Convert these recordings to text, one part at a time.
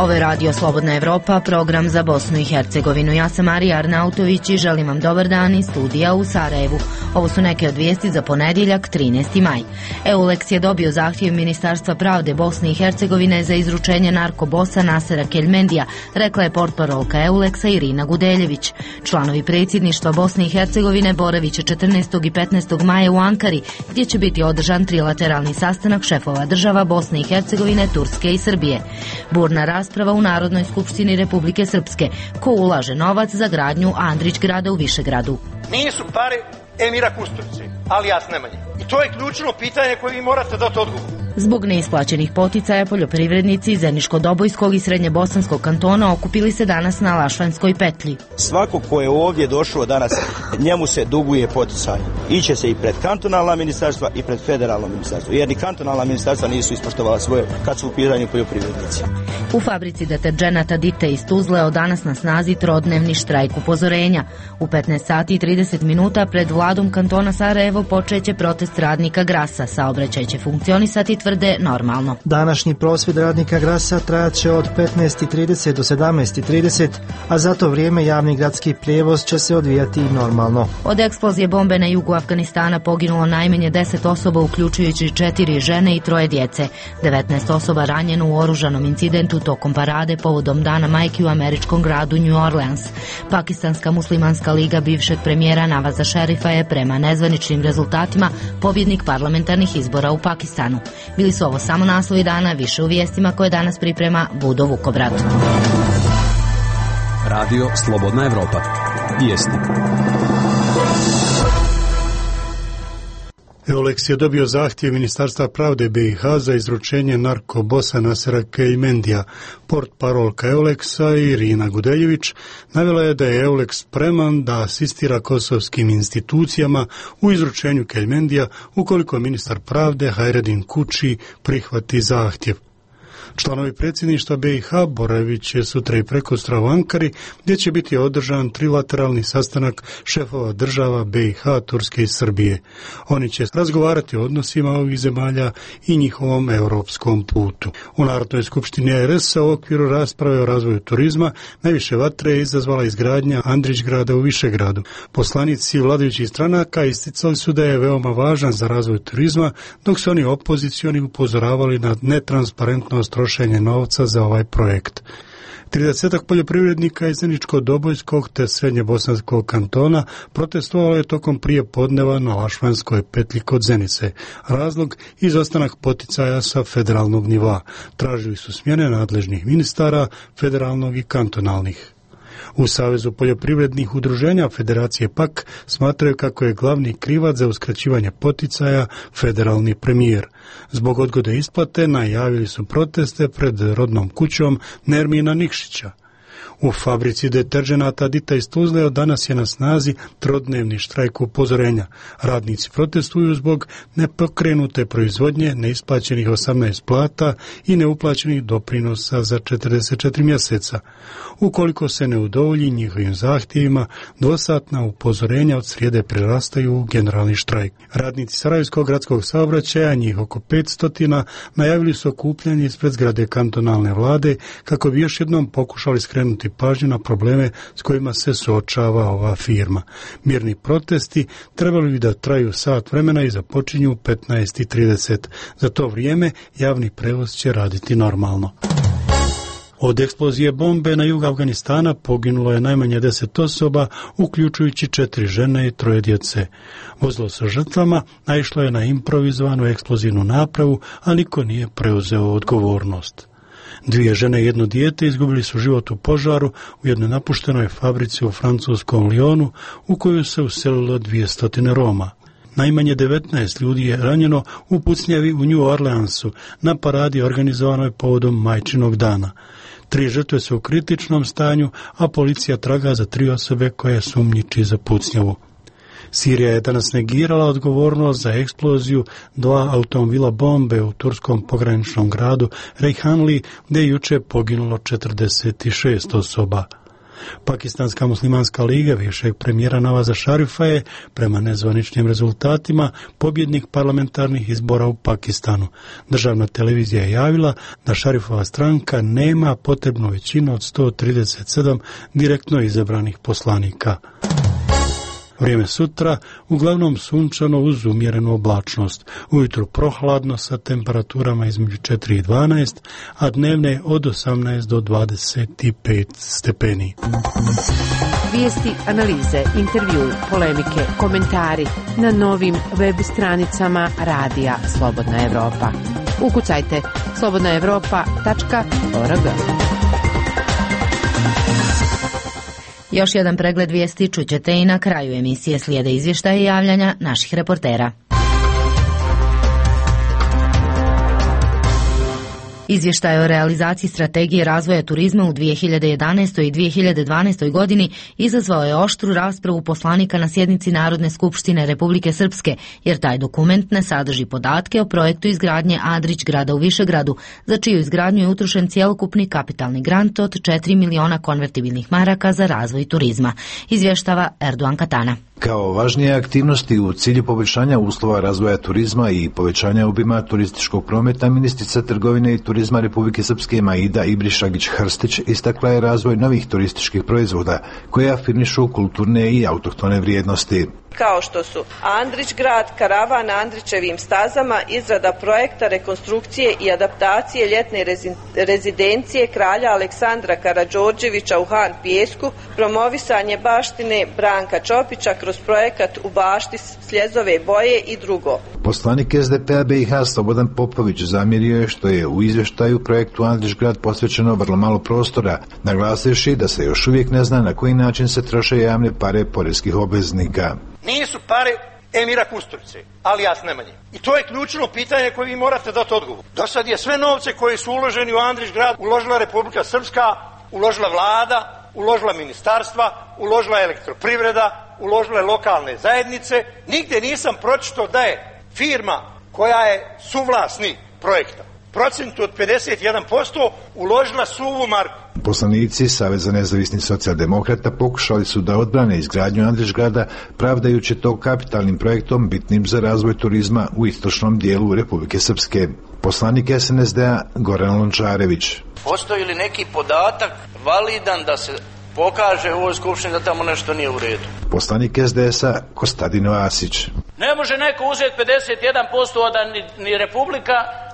Ovo je Radio Slobodna Evropa, program za Bosnu i Hercegovinu. Ja sam Marija Arnautović i želim vam dobar dan iz studija u Sarajevu. Ovo su neke od vijesti za ponedjeljak, 13. maj. EULEX je dobio zahtjev Ministarstva pravde Bosne i Hercegovine za izručenje narkobosa Nasera Keljmendija, rekla je portparolka EULEX-a Irina Gudeljević. Članovi predsjedništva Bosne i Hercegovine boravit će 14. i 15. maja u Ankari, gdje će biti održan trilateralni sastanak šefova država Bosne i Hercegovine, Turske i Srbije. Burna rasprava u Narodnoj skupštini Republike Srpske. Ko ulaže novac za gradnju Andrić grada u Višegradu? Nisu pare Emira Kusturice, alijas Nemanje. I to je ključno pitanje koje vi morate dati odgovor. Zbog neisplaćenih poticaja poljoprivrednici iz Zeničko-Dobojskog i Srednjebosanskog kantona okupili se danas na Lašvanskoj petlji. Svako ko je ovdje došao danas, njemu se duguje poticaj. Iće se i pred kantonalna ministarstva i pred federalno ministarstvo, jer ni kantonalna ministarstva nisu ispoštovala svoje kad su u pitanju poljoprivrednici. U fabrici deterdženata Dite iz Tuzle od danas na snazi trodnevni štrajk upozorenja. U 15 sati i 30 minuta pred vladom kantona Sarajevo počeće protest radnika Grasa. Saobraćaj će funkcionisati, tvrde, normalno. Današnji prosvjed radnika Grasa trajat će od 15:30 do 17:30, a za to vrijeme javni gradski prijevoz će se odvijati normalno. Od eksplozije bombe na jugu Afganistana poginulo najmanje 10 osoba, uključujući 4 žene i 3 djece. 19 osoba ranjeno u oružanom incidentu tokom parade povodom Dana majki u američkom gradu New Orleans. Pakistanska muslimanska liga bivšeg premijera Navaza Šerifa je prema nezvaničnim rezultatima pobjednik parlamentarnih izbora u Pakistanu. Bili su ovo samo naslovi dana, više u vijestima koje danas priprema Budo Vukobrad. Radio Slobodna Evropa. Vijesti. EULEX je dobio zahtjev Ministarstva pravde BiH za izručenje narkobosa Nasera Keljmendija. Portparolka EULEX-a Irina Gudeljević navela je da je EULEX spreman da asistira kosovskim institucijama u izručenju Keljmendija ukoliko ministar pravde Hajredin Kuči prihvati zahtjev. Članovi predsjedništva BiH boravit će sutra i prekosutra u Ankari, gdje će biti održan trilateralni sastanak šefova država BiH, Turske i Srbije. Oni će razgovarati o odnosima ovih zemalja i njihovom europskom putu. U Narodnoj skupštini RS u okviru rasprave o razvoju turizma najviše vatre je izazvala izgradnja Andrić grada u Višegradu. Poslanici vladajućih stranaka isticali su da je veoma važan za razvoj turizma, dok su oni opozicioni upozoravali na netransparentnost trošenje novca za ovaj projekt. 30 poljoprivrednika iz Zeničko-Dobojskog te Srednjebosanskog kantona protestovalo je tokom prije podneva na Lašvanskoj petlji kod Zenice. Razlog izostanak poticaja sa federalnog nivoa. Tražili su smjene nadležnih ministara, federalnog i kantonalnih. U Savezu poljoprivrednih udruženja Federacije PAK smatraju kako je glavni krivac za uskraćivanje poticaja federalni premijer. Zbog odgode isplate najavili su proteste pred rodnom kućom Nermina Nikšića. U fabrici deterdženata Dita iz Tuzle od danas je na snazi trodnevni štrajk upozorenja. Radnici protestuju zbog nepokrenute proizvodnje, neisplaćenih 18 plata i neuplaćenih doprinosa za 44 mjeseca. Ukoliko se ne udovolji njihovim zahtjevima, dvosatna upozorenja od srijede prerastaju u generalni štrajk. Radnici Sarajevskog gradskog saobraćaja, njih oko 500, najavili su okupljanje ispred zgrade kantonalne vlade kako bi još jednom pokušali skrenuti pažnju na probleme s kojima se suočava ova firma. Mirni protesti trebali bi da traju sat vremena i započinju u 15:30. Za to vrijeme javni prevoz će raditi normalno. Od eksplozije bombe na jugu Afganistana poginulo je najmanje 10 osoba, uključujući 4 žene i 3 djece. Vozilo sa žrtvama naišlo je na improvizovanu eksplozivnu napravu, a niko nije preuzeo odgovornost. 2 žene i 1 dijete izgubili su život u požaru u jednoj napuštenoj fabrici u francuskom Lyonu, u koju se uselilo 200 Roma. Najmanje 19 ljudi je ranjeno u pucnjavi u New Orleansu na paradi organizovanoj povodom Majčinog dana. 3 žrtve su u kritičnom stanju, a policija traga za 3 osobe koje sumnjiči za pucnjavu. Sirija je danas negirala odgovornost za eksploziju 2 automobila bombe u turskom pograničnom gradu Reyhanli, gdje je juče poginulo 46 osoba. Pakistanska muslimanska liga bivšeg premijera Navaza Šarifa je, prema nezvaničnim rezultatima, pobjednik parlamentarnih izbora u Pakistanu. Državna televizija je javila da Šarifova stranka nema potrebnu većinu od 137 direktno izabranih poslanika. Vrijeme sutra uglavnom sunčano uz umjerenu oblačnost. Ujutro prohladno sa temperaturama između 4 i 12, a dnevne od 18 do 25 stepeni. Vijesti, analize, intervju, polemike, komentari na novim web stranicama Radija Slobodna Evropa. Ukucajte slobodnaevropa.org. Još jedan pregled vijesti čućete i na kraju emisije. Slijede izvještaje i javljanja naših reportera. Izvještaj o realizaciji strategije razvoja turizma u 2011. i 2012. godini izazvao je oštru raspravu poslanika na sjednici Narodne skupštine Republike Srpske, jer taj dokument ne sadrži podatke o projektu izgradnje Andrić grada u Višegradu, za čiju izgradnju je utrošen cjelokupni kapitalni grant od 4 miliona konvertibilnih maraka za razvoj turizma, izvještava Erdogan Katana. Kao važnije aktivnosti u cilju poboljšanja uslova razvoja turizma i povećanja obima turističkog prometa, ministrica trgovine i turizma Republike Srpske Maida Ibrišagić-Hrstić istakla je razvoj novih turističkih proizvoda koje afirmišu kulturne i autohtone vrijednosti. Kao što su Andrić grad, karavan na Andrićevim stazama, izrada projekta rekonstrukcije i adaptacije ljetne rezidencije kralja Aleksandra Karađorđevića u Han Pijesku, promovisanje baštine Branka Čopića kroz projekat U bašti Sljezove boje i drugo. Poslanik SDP-a BiH Slobodan Popović zamjerio je što je u izvještaju projektu Andrić grad posvećeno vrlo malo prostora, naglasivši da se još uvijek ne zna na koji način se troše javne pare poreskih obveznika. Nisu pare Emira Kusturice, alias Nemanje. I to je ključno pitanje koje vi morate dati odgovor. Do sad je sve novce koji su uloženi u Andrić grad uložila Republika Srpska, uložila vlada, uložila ministarstva, uložila elektroprivreda, uložile lokalne zajednice. Nigdje nisam pročitao da je firma koja je suvlasnik projekta procentu od 51% uložila suvu marku. Poslanici Saveza nezavisnih socijaldemokrata pokušali su da odbrane izgradnju Andrić grada, pravdajući to kapitalnim projektom bitnim za razvoj turizma u istočnom dijelu Republike Srpske. Poslanik SNSD-a Goran Lončarević. Postoji li neki podatak validan da se pokaže u ovoj skupštini da tamo nešto nije u redu? Poslanik SDS-a Kostadino Asić. Ne može neko uzeti 51%, a da ni Republika,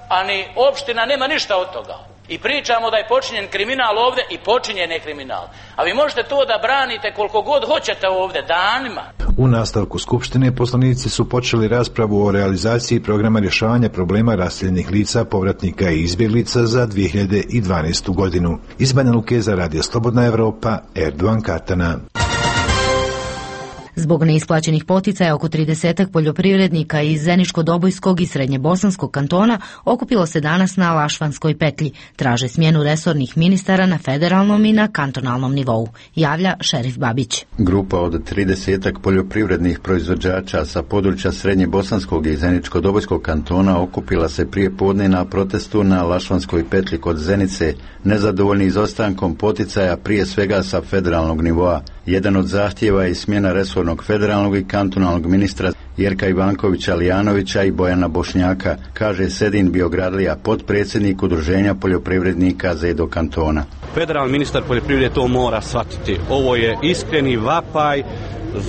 a ni opština nema ništa od toga. I pričamo da je počinjen kriminal ovdje i počinjen je kriminal. A vi možete to da branite koliko god hoćete ovdje, danima. U nastavku skupštine poslanici su počeli raspravu o realizaciji programa rješavanja problema raseljenih lica, povratnika i izbjeglica za 2012. godinu. Iz Banja Luke za Radio Slobodna Evropa, Erdogan Katana. Zbog neisplaćenih poticaja oko 30 poljoprivrednika iz Zeničko-Dobojskog i Srednjebosanskog kantona okupilo se danas na Lašvanskoj petlji. Traže smjenu resornih ministara na federalnom i na kantonalnom nivou, javlja Šerif Babić. Grupa od 30 poljoprivrednih proizvođača sa područja Srednjebosanskog i Zeničko-Dobojskog kantona okupila se prije podne na protestu na Lašvanskoj petlji kod Zenice, nezadovoljni izostankom poticaja prije svega sa federalnog nivoa. Jedan od zahtjeva je smjena resornog federalnog i kantonalnog ministra Jerka Ivankovića Lijanovića i Bojana Bošnjaka, kaže Sedin Biogradlija, potpredsjednik Udruženja poljoprivrednika Zedo kantona. Federalni ministar poljoprivrede to mora shvatiti. Ovo je iskreni vapaj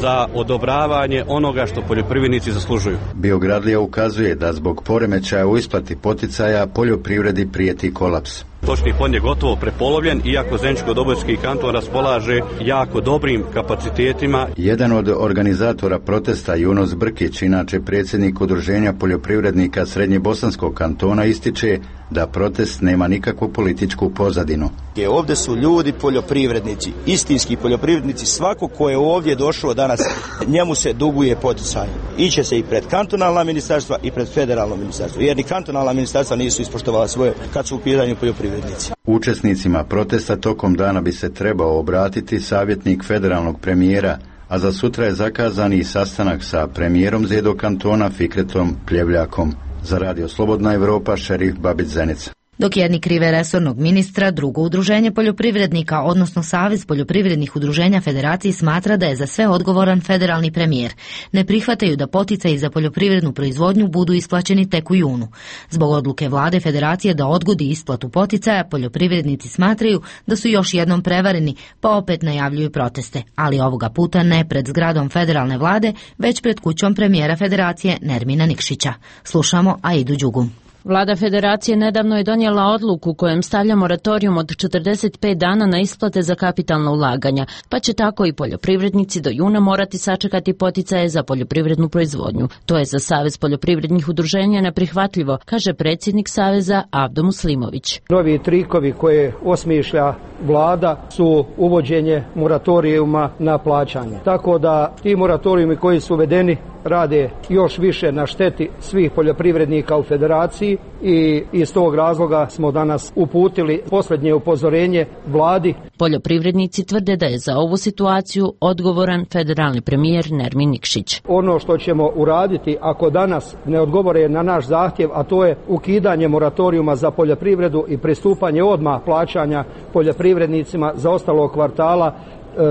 za odobravanje onoga što poljoprivrednici zaslužuju. Biogradlija ukazuje da zbog poremećaja u isplati poticaja poljoprivredi prijeti kolaps. Stočni fond je gotovo prepolovljen, iako Zeničko-Dobojski kanton raspolaže jako dobrim kapacitetima. Jedan od organizatora protesta, Junos Brkić, inače predsjednik Udruženja poljoprivrednika Srednjebosanskog kantona, ističe da protest nema nikakvu političku pozadinu. Ovdje su ljudi poljoprivrednici, istinski poljoprivrednici, svako ko je ovdje došao danas, njemu se duguje poticaj. Iće se i pred kantonalna ministarstva i pred federalno ministarstvo, jer ni kantonalna ministarstva nisu ispoštovala svoje kad su u pitanju poljoprivrednici. Učesnicima protesta tokom dana bi se trebao obratiti savjetnik federalnog premijera, a za sutra je zakazani i sastanak sa premijerom Zedo kantona Fikretom Pljevljakom. Za Radio Slobodna Evropa, Šerif Babić Zenica. Dok jedni krive resornog ministra, drugo udruženje poljoprivrednika, odnosno Savez poljoprivrednih udruženja Federaciji smatra da je za sve odgovoran federalni premijer. Ne prihvataju da poticaji za poljoprivrednu proizvodnju budu isplaćeni tek u junu. Zbog odluke vlade Federacije da odgodi isplatu poticaja, poljoprivrednici smatraju da su još jednom prevareni, pa opet najavljuju proteste, ali ovoga puta ne pred zgradom federalne vlade, već pred kućom premijera Federacije Nermina Nikšića. Slušamo Aidu Đugu. Vlada Federacije nedavno je donijela odluku kojem stavlja moratorijum od 45 dana na isplate za kapitalna ulaganja, pa će tako i poljoprivrednici do juna morati sačekati poticaje za poljoprivrednu proizvodnju. To je za Savez poljoprivrednih udruženja neprihvatljivo, kaže predsjednik Saveza Avdo Muslimović. Novi trikovi koje osmišlja vlada su uvođenje moratorijuma na plaćanje. Tako da ti moratorijumi koji su uvedeni rade još više na šteti svih poljoprivrednika u Federaciji i iz tog razloga smo danas uputili posljednje upozorenje vladi. Poljoprivrednici tvrde da je za ovu situaciju odgovoran federalni premijer Nermin Nikšić. Ono što ćemo uraditi ako danas ne odgovore na naš zahtjev, a to je ukidanje moratorijuma za poljoprivredu i pristupanje odmah plaćanja poljoprivrednicima za ostalog kvartala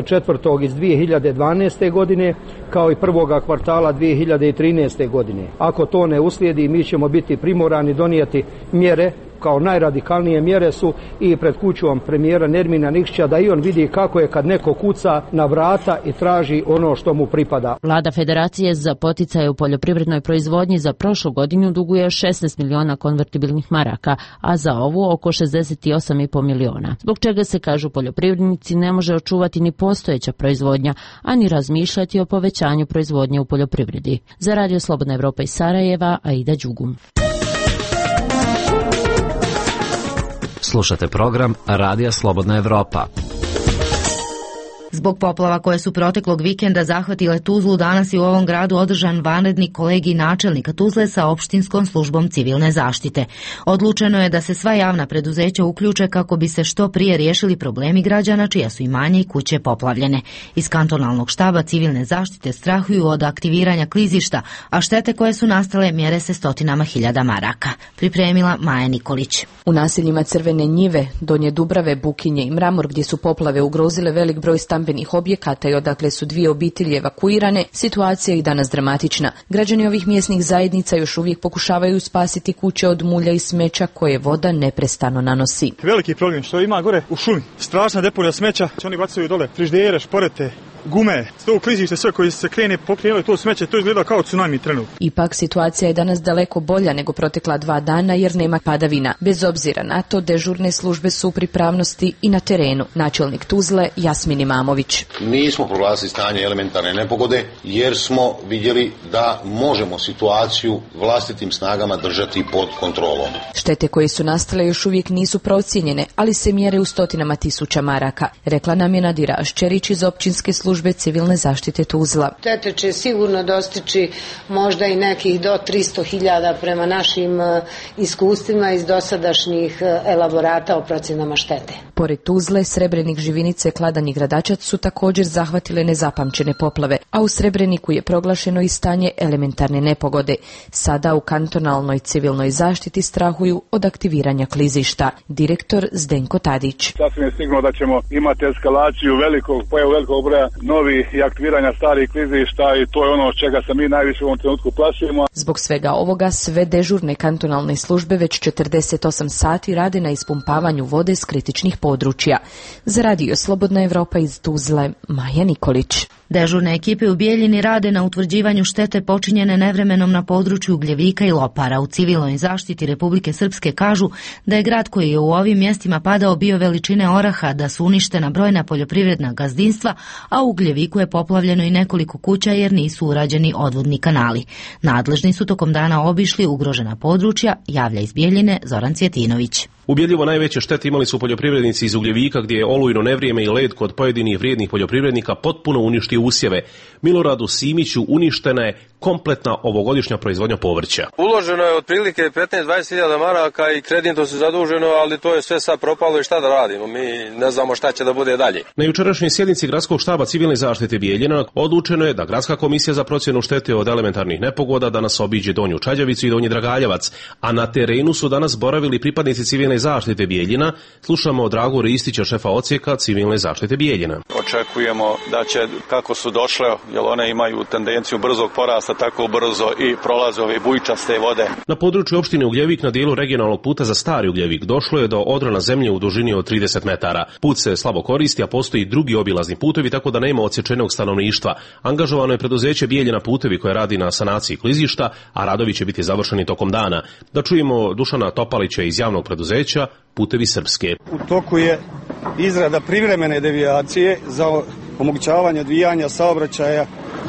četvrtog iz 2012. godine kao i prvoga kvartala 2013. godine. Ako to ne uslijedi, mi ćemo biti primorani donijeti mjere, kao najradikalnije mjere su i pred kućom premijera Nermina Nikšića, da i on vidi kako je kad neko kuca na vrata i traži ono što mu pripada. Vlada Federacije za poticaje u poljoprivrednoj proizvodnji za prošlu godinu duguje 16 miliona konvertibilnih maraka, a za ovu oko 68,5 miliona. Zbog čega se, kažu poljoprivrednici, ne može očuvati ni postojeća proizvodnja, a ni razmišljati o povećanju proizvodnje u poljoprivredi. Za Radio Slobodna Evropa iz Sarajeva, Aida Đugum. Slušate program Radija Slobodna Evropa. Zbog poplava koje su proteklog vikenda zahvatile Tuzlu, danas je u ovom gradu održan vanredni kolegij načelnika Tuzle sa opštinskom službom civilne zaštite. Odlučeno je da se sva javna preduzeća uključe kako bi se što prije riješili problemi građana čija su imanja i kuće poplavljene. Iz kantonalnog štaba civilne zaštite strahuju od aktiviranja klizišta, a štete koje su nastale mjere se stotinama hiljada maraka. Pripremila Maja Nikolić. U naseljima Crvene njive, Donje Dubrave, Bukinje i Mramor, gdje su poplave ugrozile velik broj stambenih objekata i odakle su 2 obitelji evakuirane, situacija je i danas dramatična. Građani ovih mjesnih zajednica još uvijek pokušavaju spasiti kuće od mulja i smeća koje voda neprestano nanosi. Veliki problem što ima gore u šumi, strašna deponija smeća, oni bacaju dole frižidere, šporete, gume, to klizište, sve koji se krene pokrenuli to smeće, to izgleda kao tsunami trenutno. Ipak situacija je danas daleko bolja nego protekla 2 dana jer nema padavina. Bez obzira na to, dežurne službe su u pripravnosti i na terenu. Načelnik Tuzle Jasmin Imamović. Nismo proglasili stanje elementarne nepogode jer smo vidjeli da možemo situaciju vlastitim snagama držati pod kontrolom. Štete koje su nastale još uvijek nisu procijenjene, ali se mjere u stotinama tisuća maraka, rekla nam je Nadira Aščerić iz općinske službe civilne zaštite Tuzla. Štete će sigurno dostići možda i nekih do 300.000 prema našim iskustvima iz dosadašnjih elaborata o procjenama štete. Pored Tuzle, Srebrenik, Živinice, Kladanj i Gradačac su također zahvatile nezapamćene poplave, a u Srebreniku je proglašeno i stanje elementarne nepogode. Sada u kantonalnoj civilnoj zaštiti strahuju od aktiviranja klizišta. Direktor Zdenko Tadić. Sasvim je sigurno da ćemo imati eskalaciju velikog broja novih i aktiviranja starih klizišta i to je ono od čega se mi najviše u ovom trenutku plašimo. Zbog svega ovoga sve dežurne kantonalne službe već 48 sati rade na ispumpavanju vode s kritičnih područja. Za Radio Slobodna Evropa iz Tuzle, Maja Nikolić. Dežurne ekipe u Bijeljini rade na utvrđivanju štete počinjene nevremenom na području Ugljevika i Lopara. U civilnoj zaštiti Republike Srpske kažu da je grad koji je u ovim mjestima padao bio veličine oraha, da su uništena brojna poljoprivredna gazdinstva, a u Ugljeviku je poplavljeno i nekoliko kuća jer nisu urađeni odvodni kanali. Nadležni su tokom dana obišli ugrožena područja, javlja iz Bijeljine Zoran Cvjetinović. Ubjedljivo najveće štete imali su poljoprivrednici iz Ugljevika gdje je olujno nevrijeme i led kod pojedinih vrijednih poljoprivrednika potpuno uništio usjeve. Miloradu Simiću uništena je kompletna ovogodišnja proizvodnja povrća. Uloženo je otprilike 15-20.000 maraka i kreditno se zaduženo, ali to je sve sad propalo i šta da radimo? Mi ne znamo šta će da bude dalje. Na jučerašnjoj sjednici Gradskog štaba civilne zaštite Bijeljina odlučeno je da Gradska komisija za procjenu štete od elementarnih nepogoda danas obiđe Donju Čađavicu i Donji Dragaljevac, a na terenu su danas boravili pripadnici civilne zaštite Bijeljina. Slušamo Dragu Ristića, šefa odsjeka civilne zaštite Bijeljina. Očekujemo da će, kako su došle, jer one imaju tendenciju brzog porasta, tako brzo i prolaze ove bujčaste vode. Na području opštine Ugljevik na dijelu regionalnog puta za Stari Ugljevik došlo je do odrana zemlje u dužini od 30 metara. Put se slabo koristi, a postoji drugi obilazni putevi, tako da nema odsječenog stanovništva. Angažovano je preduzeće Bijeljina putevi koje radi na sanaciji klizišta, a radovi će biti završeni tokom dana. Da čujemo Dušana Topalića iz javnog preduzeća Putevi Srpske. U toku je izrada privremene devijacije za omogućavanje odvijanja saobraćaja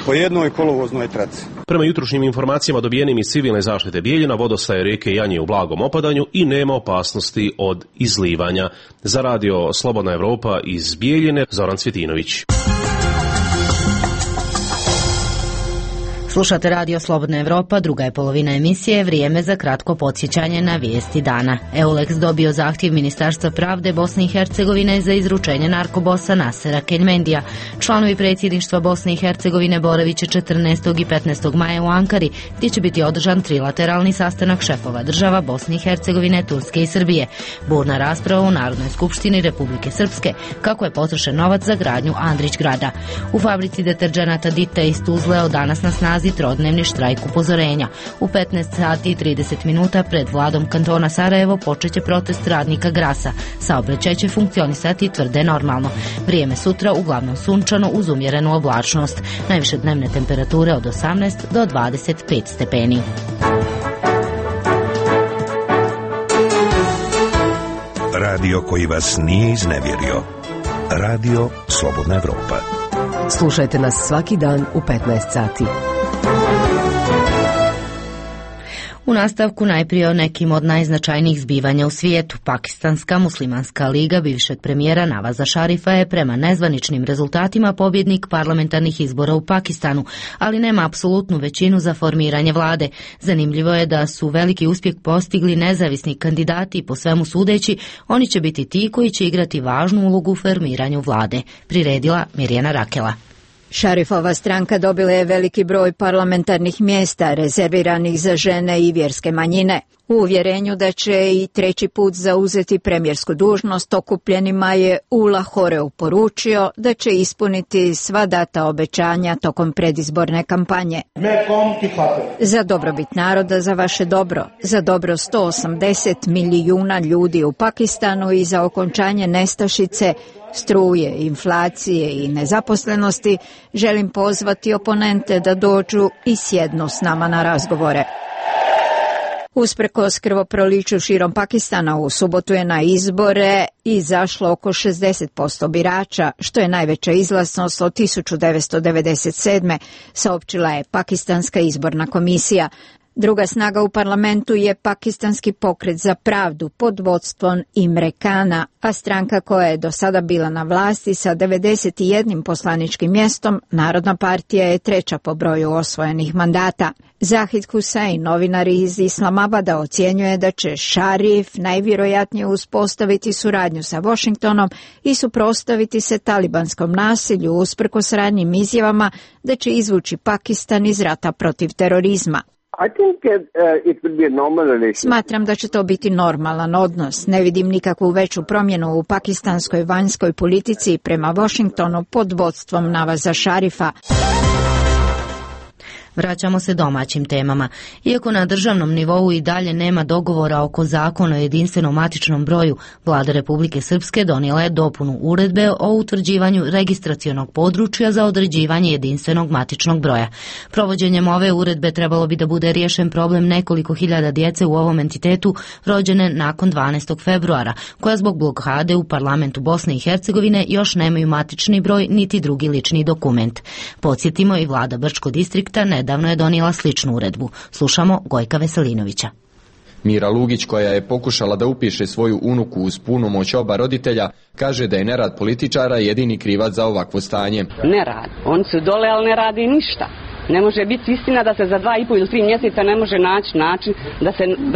po jednoj kolovoznoj traci. Prema jutrošnjim informacijama dobijenim iz civilne zaštite Bijeljina, vodostaje rijeke Janje u blagom opadanju i nema opasnosti od izlivanja. Za radio Slobodna Evropa iz Bijeljine, Zoran Cvjetinović. Slušate radio Slobodna Evropa, druga je polovina emisije, vrijeme za kratko podsjećanje na vijesti dana. EULEX dobio zahtjev Ministarstva pravde Bosne i Hercegovine za izručenje narkobosa Nasera Keljmendija. Članovi predsjedništva Bosne i Hercegovine boravit će 14. i 15. maja u Ankari, gdje će biti održan trilateralni sastanak šefova država Bosne i Hercegovine, Turske i Srbije. Burna rasprava u Narodnoj skupštini Republike Srpske, kako je potrošen novac za gradnju Andrić grada. U fabrici deterdženata Dite iz Tuzle od danas na snazi trodnevni štrajk upozorenja. U 15 sati i 30 minuta pred vladom kantona Sarajevo počeće protest radnika Grasa. Saobraćaj će funkcionisati tvrde normalno. Vrijeme sutra uglavnom sunčano uz umjerenu oblačnost. Najviše dnevne temperature od 18 do 25 stepeni. Radio koji vas nije iznevjerio. Radio Slobodna Evropa. Slušajte nas svaki dan u 15 sati. U nastavku najprije o nekim od najznačajnijih zbivanja u svijetu. Pakistanska muslimanska liga bivšeg premijera Navaza Šarifa je prema nezvaničnim rezultatima pobjednik parlamentarnih izbora u Pakistanu, ali nema apsolutnu većinu za formiranje vlade. Zanimljivo je da su veliki uspjeh postigli nezavisni kandidati i po svemu sudeći oni će biti ti koji će igrati važnu ulogu u formiranju vlade, priredila Mirjana Rakela. Šarifova stranka dobila je veliki broj parlamentarnih mjesta rezerviranih za žene i vjerske manjine. U uvjerenju da će i treći put zauzeti premijersku dužnost, okupljenima je u Lahoreu poručio da će ispuniti sva data obećanja tokom predizborne kampanje. Za dobrobit naroda, za vaše dobro, za dobro 180 milijuna ljudi u Pakistanu i za okončanje nestašice, struje, inflacije i nezaposlenosti, želim pozvati oponente da dođu i sjednu s nama na razgovore. Usprkos krvoproliću širom Pakistana, u subotu je na izbore izašlo oko 60% birača, što je najveća izlaznost od 1997. saopćila je Pakistanska izborna komisija. Druga snaga u parlamentu je Pakistanski pokret za pravdu pod vodstvom Imre Kana, a stranka koja je do sada bila na vlasti sa 91 poslaničkim mjestom, Narodna partija je treća po broju osvojenih mandata. Zahid Hussein, novinar iz Islamabada, ocjenjuje da će Šarif najvjerojatnije uspostaviti suradnju sa Washingtonom i suprotstaviti se talibanskom nasilju usprkos ranijim izjavama da će izvući Pakistan iz rata protiv terorizma. Smatram da će to biti normalan odnos. Ne vidim nikakvu veću promjenu u pakistanskoj vanjskoj politici prema Washingtonu pod vodstvom Navaza Šarifa. Vraćamo se domaćim temama. Iako na državnom nivou i dalje nema dogovora oko zakona o jedinstvenom matičnom broju, Vlada Republike Srpske donijela je dopunu uredbe o utvrđivanju registracionog područja za određivanje jedinstvenog matičnog broja. Provođenjem ove uredbe trebalo bi da bude riješen problem nekoliko hiljada djece u ovom entitetu rođene nakon 12. februara, koja zbog blokade u parlamentu Bosne i Hercegovine još nemaju matični broj niti drugi lični dokument. Podsjetimo, i vlada Brčkog distrikta nedavno je donijela sličnu uredbu. Slušamo Gojka Veselinovića. Mira Lugić, koja je pokušala da upiše svoju unuku uz punu moć oba roditelja, kaže da je nerad političara jedini krivac za ovakvo stanje. Nerad. Oni su dole, ali ne radi ništa. Ne može biti istina da se za 2,5 ili 3 mjeseca ne može naći način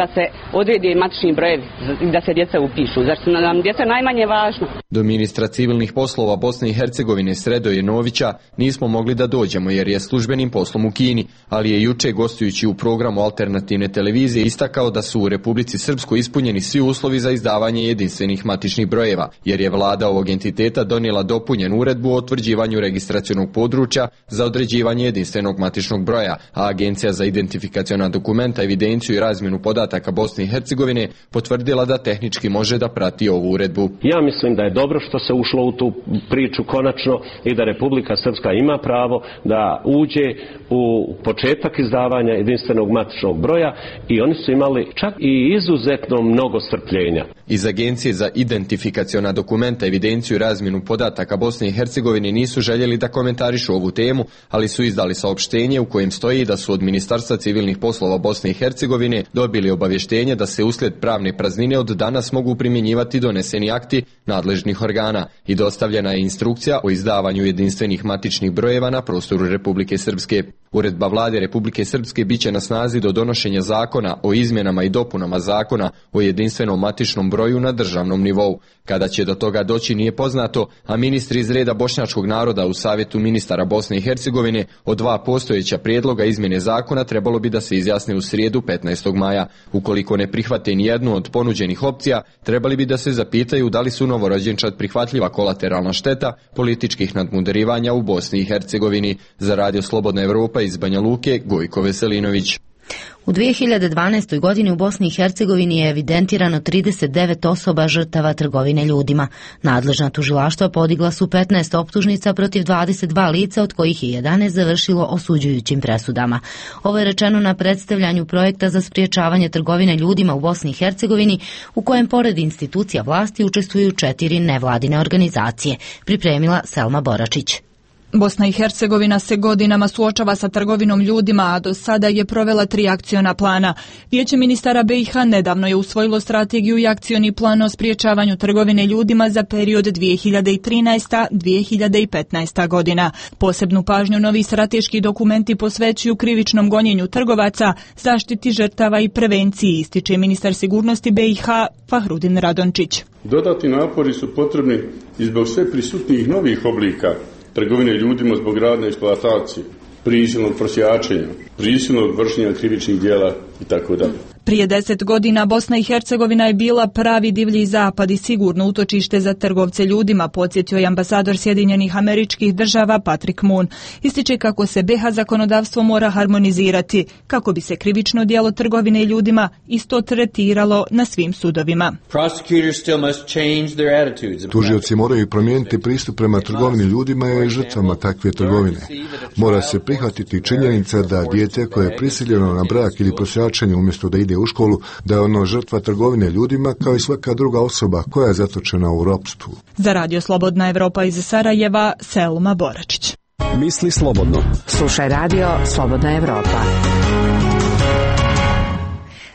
da se odredi matični brojevi i da se djeca upišu. Zar su nam djeca najmanje važno? Do ministra civilnih poslova Bosne i Hercegovine Sredoje Novića nismo mogli da dođemo jer je službenim poslom u Kini, ali je juče gostujući u programu alternativne televizije istakao da su u Republici Srpskoj ispunjeni svi uslovi za izdavanje jedinstvenih matičnih brojeva, jer je vlada ovog entiteta donijela dopunjenu uredbu o utvrđivanju registracionog područja za određivanje jedinstvenog matičnog broja, a Agencija za identifikaciona dokumenta, evidenciju i razmjenu podataka Bosne i Hercegovine potvrdila da tehnički može da prati ovu uredbu. Ja mislim da je dobro što se ušlo u tu priču konačno i da Republika Srpska ima pravo da uđe u početak izdavanja jedinstvenog matičnog broja i oni su imali čak i izuzetno mnogo strpljenja. Iz Agencije za identifikaciona dokumenta, evidenciju i razmjenu podataka Bosne i Hercegovine nisu željeli da komentarišu ovu temu, ali su izdali saopštenje u kojem stoji da su od Ministarstva civilnih poslova Bosne i Hercegovine dobili obavještenje da se uslijed pravne praznine od danas mogu primjenjivati doneseni akti nadležnih organa i dostavljena je instrukcija o izdavanju jedinstvenih matičnih brojeva na prostoru Republike Srpske. Uredba vlade Republike Srpske biće na snazi do donošenja zakona o izmjenama i dopunama zakona o jedinstvenom matičnom broju na državnom nivou. Kada će do toga doći nije poznato, a ministri iz reda bošnjačkog naroda u Savjetu ministara Bosne i Hercegovine od 2 postojeća prijedloga izmjene zakona trebalo bi da se izjasne u srijedu 15. maja. Ukoliko ne prihvate nijednu od ponuđenih opcija, trebali bi da se zapitaju da li su novorođenčad prihvatljiva kolateralna šteta političkih nadmudarivanja u Bosni i Hercegovini. Za Radio Slobodna Evropa iz Banja Luke, Gojko Veselinović. U 2012. godini u Bosni i Hercegovini je evidentirano 39 osoba žrtava trgovine ljudima. Nadležna tužilaštva podigla su 15 optužnica protiv 22 lica, od kojih je 11 završilo osuđujućim presudama. Ovo je rečeno na predstavljanju projekta za spriječavanje trgovine ljudima u Bosni i Hercegovini, u kojem pored institucija vlasti učestvuju 4 nevladine organizacije. Pripremila Selma Boračić. Bosna i Hercegovina se godinama suočava sa trgovinom ljudima, a do sada je provela 3 akciona plana. Vijeće ministara BiH nedavno je usvojilo strategiju i akcioni plan o spriječavanju trgovine ljudima za period 2013-2015 godina. Posebnu pažnju novi strateški dokumenti posvećuju krivičnom gonjenju trgovaca, zaštiti žrtava i prevenciji, ističe ministar sigurnosti BiH Fahrudin Radončić. Dodatni napori su potrebni i zbog sve prisutnijih novih oblika trgovine ljudima zbog radne eksploatacije, prisilnog prosjačenja, prisilnog vršenja krivičnih djela itd. Prije 10 godina Bosna i Hercegovina je bila pravi divlji zapad i sigurno utočište za trgovce ljudima, podsjetio je ambasador Sjedinjenih Američkih Država Patrick Moon. Ističe kako se BiH zakonodavstvo mora harmonizirati, kako bi se krivično djelo trgovine ljudima isto tretiralo na svim sudovima. Tužioci moraju promijeniti pristup prema trgovini ljudima i žrtvama takve trgovine. Mora se prihvatiti činjenica da dijete koje je prisiljeno na brak ili prosjačenje umjesto da ide u školu, da je ono žrtva trgovine ljudima kao i svaka druga osoba koja je zatočena u ropstvu. Za Radio Slobodna Evropa iz Sarajeva, Selma Boračić. Misli slobodno. Slušaj Radio Slobodna Evropa.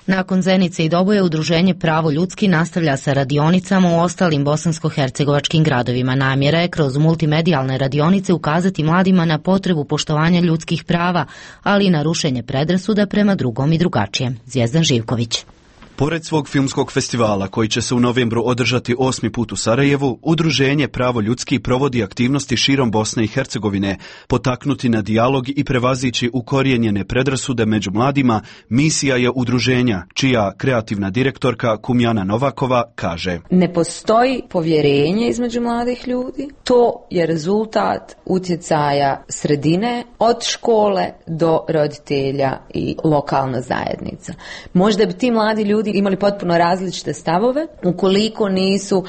Nakon Zenice i Doboja, udruženje Pravo ljudski nastavlja sa radionicama u ostalim bosansko-hercegovačkim gradovima. Namjera je kroz multimedijalne radionice ukazati mladima na potrebu poštovanja ljudskih prava, ali i na rušenje predrasuda prema drugom i drugačijem. Zvijezdan Živković. Pored svog filmskog festivala, koji će se u novembru održati 8. put u Sarajevu, udruženje Pravo ljudski provodi aktivnosti širom Bosne i Hercegovine. Potaknuti na dijalog i prevazići ukorijenjene predrasude među mladima, misija je udruženja, čija kreativna direktorka Kumjana Novakova kaže: Ne postoji povjerenje između mladih ljudi. To je rezultat utjecaja sredine, od škole do roditelja i lokalna zajednica. Možda bi ti mladi ljudi imali potpuno različite stavove ukoliko nisu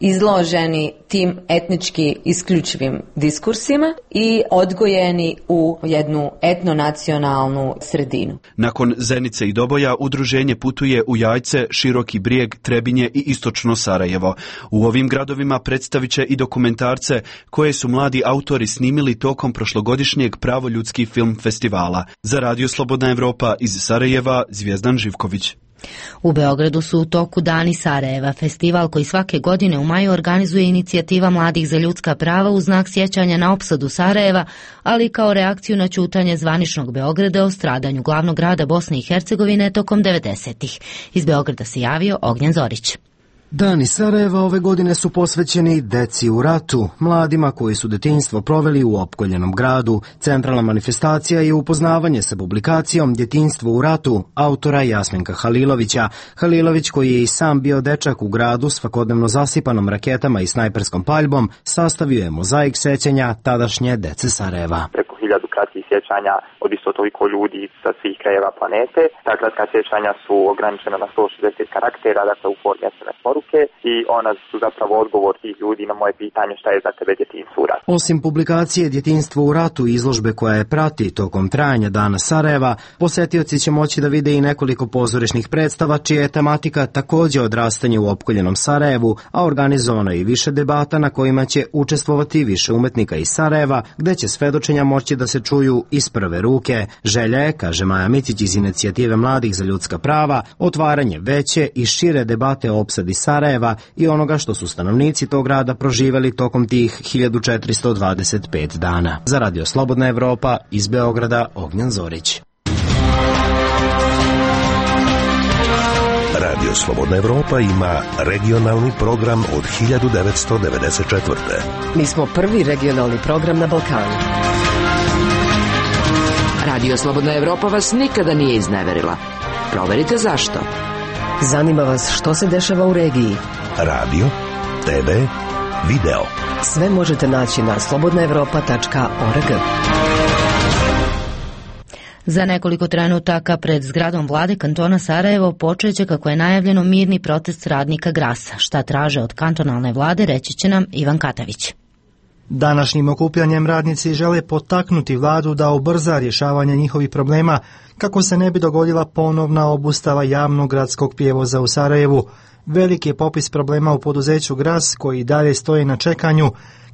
izloženi tim etnički isključivim diskursima i odgojeni u jednu etnonacionalnu sredinu. Nakon Zenice i Doboja, udruženje putuje u Jajce, Široki Brijeg, Trebinje i istočno Sarajevo. U ovim gradovima predstavit će i dokumentarce koje su mladi autori snimili tokom prošlogodišnjeg Pravo ljudski film festivala. Za Radio Slobodna Evropa iz Sarajeva, Zvijezdan Živković. U Beogradu su u toku Dani Sarajeva, festival koji svake godine u maju organizuje inicijativa Mladih za ljudska prava u znak sjećanja na opsadu Sarajeva, ali kao reakciju na ćutanje zvaničnog Beograda o stradanju glavnog grada Bosne i Hercegovine tokom 90-ih. Iz Beograda se javio Ognjen Zorić. Dani Sarajeva ove godine su posvećeni deci u ratu, mladima koji su detinjstvo proveli u opkoljenom gradu. Centralna manifestacija je upoznavanje sa publikacijom Djetinjstvo u ratu autora Jasmenka Halilovića. Halilović, koji je i sam bio dečak u gradu svakodnevno zasipanom raketama i snajperskom paljbom, sastavio je mozaik sećanja tadašnje dece Sarajeva. 1000 kratkih sjećanja od isto toliko ljudi sa svih krajeva planete. Ta kratka sjećanja su ograničena na 160 karaktera, dakle u formi SMS poruke, i ona su zapravo odgovor tih ljudi na moje pitanje šta je za tebe djetinjstvo u ratu. Osim publikacije Djetinjstvo u ratu i izložbe koja je prati tokom trajanja Dana Sarajeva, posjetioci će moći da vide i nekoliko pozorišnih predstava čija je tematika također odrastanje u opkoljenom Sarajevu, a organizovano je i više debata na kojima će učestvovati više umetnika iz Sarajeva, gde će svedočenja moći da se čuju iz prve ruke. Želja je, kaže Maja Micić iz inicijative Mladih za ljudska prava, otvaranje veće i šire debate o opsadi Sarajeva i onoga što su stanovnici tog grada proživjeli tokom tih 1425 dana. Za Radio Slobodna Evropa iz Beograda Ognjen Zorić. Radio Slobodna Evropa ima regionalni program od 1994. Mi smo prvi regionalni program na Balkanu. Radio Slobodna Evropa vas nikada nije izneverila. Proverite zašto. Zanima vas što se dešava u regiji. Radio, TV, video. Sve možete naći na slobodnaevropa.org. Za nekoliko trenutaka pred zgradom vlade kantona Sarajevo počeće, kako je najavljeno, mirni protest radnika Grasa. Šta traže od kantonalne vlade reći će nam Ivan Katavić. Današnjim okupljanjem radnici žele potaknuti vladu da ubrza rješavanje njihovih problema kako se ne bi dogodila ponovna obustava javnog gradskog prijevoza u Sarajevu. Veliki je popis problema u poduzeću Gras koji dalje stoji na čekanju,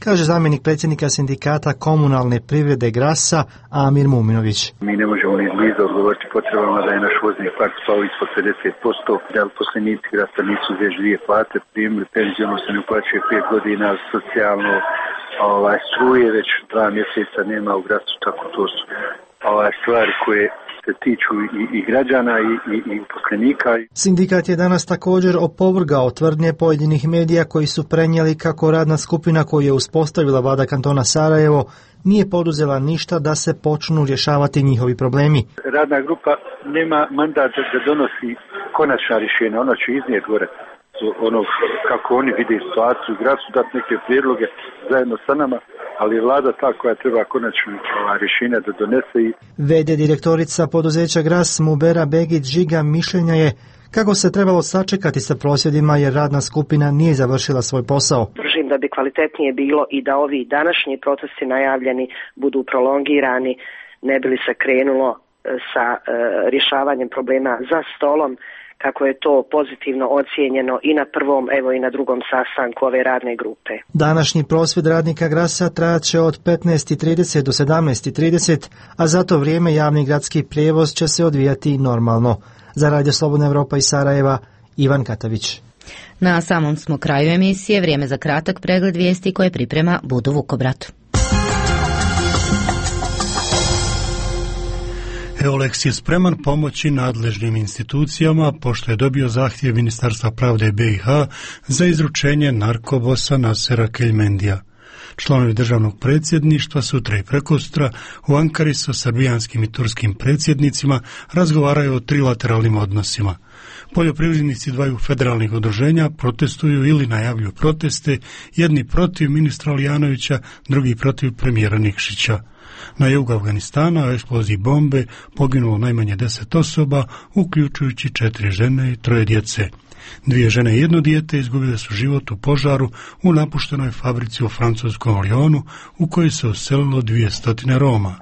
kaže zamjenik predsjednika sindikata komunalne privrede Grasa Amir Muminović. Mi ne možemo ni izbliza odgovoriti potrebama da je naš vozni park spao ispod 50%, da uposlenici Grasa nisu već 2 plate primili, penziono se ne uplaćuje 5 godina, socijalno struje već 2 mjeseca nema u Grasu, tako to su stvari koje se tiču i građana i uposlenika. Sindikat je danas također opovrgao tvrdnje pojedinih medija koji su prenijeli kako radna skupina koju je uspostavila vlada kantona Sarajevo nije poduzela ništa da se počnu rješavati njihovi problemi. Radna grupa nema mandat da donosi konačna rješenja, ona će iznijeti gore ono kako oni vide situaciju u Grasu, dati neke prijedloge zajedno sa nama, ali je vlada ta koja treba konačno rješenja da donese. V.d. direktorica poduzeća Gras Mubera Begić Žiga mišljenja je kako se trebalo sačekati sa prosvjedima jer radna skupina nije završila svoj posao. Držim da bi kvalitetnije bilo i da ovi današnji procesi najavljeni budu prolongirani, ne bi li se krenulo sa rješavanjem problema za stolom, kako je to pozitivno ocijenjeno i na prvom, evo i na drugom sastanku ove radne grupe. Današnji prosvjed radnika Grasa trajaće od 15:30 do 17:30, a za to vrijeme javni gradski prijevoz će se odvijati normalno. Za Radio Slobodna Evropa iz Sarajeva, Ivan Katavić. Na samom smo kraju emisije, vrijeme za kratak pregled vijesti koje priprema Budo Vukobrat. EULEX je spreman pomoći nadležnim institucijama pošto je dobio zahtjev Ministarstva pravde BiH za izručenje narkobosa Nasera Keljmendija. Članovi državnog predsjedništva sutra i prekosutra u Ankari sa srbijanskim i turskim predsjednicima razgovaraju o trilateralnim odnosima. Poljoprivrednici dvaju federalnih udruženja protestuju ili najavljuju proteste, jedni protiv ministra Lijanovića, drugi protiv premijera Nikšića. Na jugu Afganistana u eksploziji bombe poginulo najmanje 10 osoba, uključujući 4 žene i 3 djece. 2 žene i 1 dijete izgubile su život u požaru u napuštenoj fabrici u francuskom Lyonu u kojoj se uselilo 200 Roma.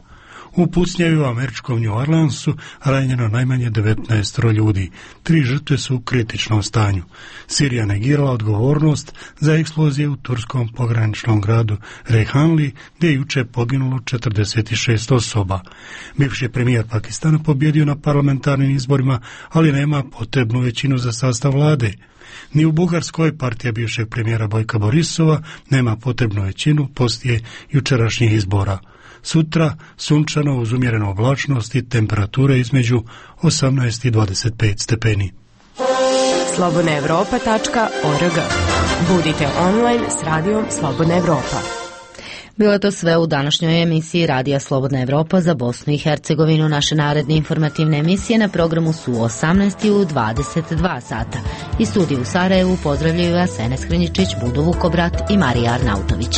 U pucnjavi u američkom New Orleansu ranjeno najmanje 19 ljudi. 3 žrtve su u kritičnom stanju. Sirija negirala odgovornost za eksplozije u turskom pograničnom gradu Rejhanli, gdje je juče poginulo 46 osoba. Bivši premijer Pakistana pobjedio na parlamentarnim izborima, ali nema potrebnu većinu za sastav vlade. Ni u Bugarskoj partija bivšeg premijera Bojka Borisova nema potrebnu većinu poslije jučerašnjih izbora. Sutra sunčano uz umjerenu oblačnost i temperature između 18 i 25 stepeni. slobodnaevropa.org. Budite online s radijom Slobodna Evropa. Bilo je to sve u današnjoj emisiji Radija Slobodna Evropa za Bosnu i Hercegovinu. Naše naredne informativne emisije na programu su u 18 i u 22 sata. Iz studija u Sarajevu pozdravljaju vas Enes Hrinjičić, Budo Vukobrat i Marija Arnautović.